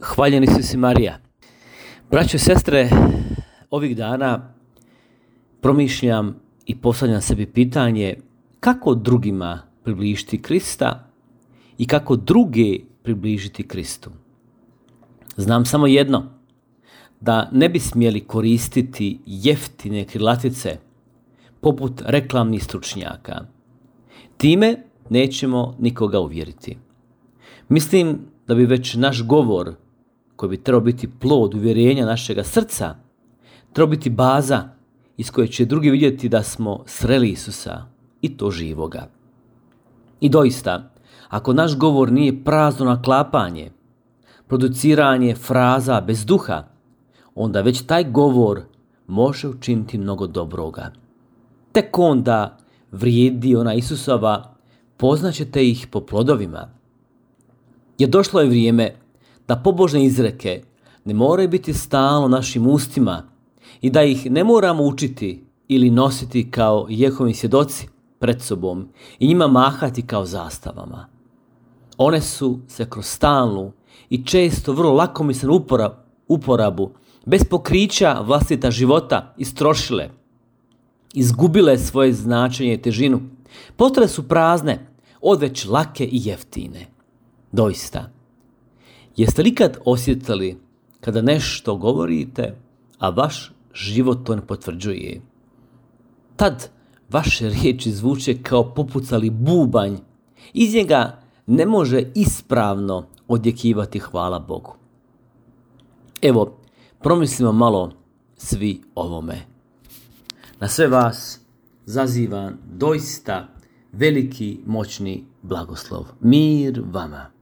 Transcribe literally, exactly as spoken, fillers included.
Hvaljeni Isus i Marija. Braćo i sestre, ovih dana promišljam i postavljam sebi pitanje kako drugima približiti Krista i kako druge približiti Kristu. Znam samo jedno, da ne bi smjeli koristiti jeftine krilatice poput reklamnih stručnjaka. Time nećemo nikoga uvjeriti. Mislim da bi već naš govor, koji bi trebao biti plod uvjerenja našega srca, trebao biti baza iz koje će drugi vidjeti da smo sreli Isusa i to živoga. I doista, ako naš govor nije prazno naklapanje, produciranje fraza bez duha, onda već taj govor može učiniti mnogo dobroga. Tek onda vrijedi ona Isusova, poznaćete ih po plodovima. Jer došlo je vrijeme da pobožne izreke ne moraju biti stalno našim ustima i da ih ne moramo učiti ili nositi kao Jehovi svjedoci pred sobom i njima mahati kao zastavama. One su se kroz stalnu i često vrlo lakomislenu uporabu bez pokrića vlastita života istrošile, izgubile svoje značenje i težinu, postale su prazne, odveć lake i jeftine. Doista, jeste li kad osjetili kada nešto govorite, a vaš život to ne potvrđuje? Tad vaše riječi zvuče kao popucali bubanj, iz njega ne može ispravno odjekivati hvala Bogu. Evo, promislimo malo svi ovome. Na sve vas zazivam doista veliki, moćni blagoslov. Mir vama.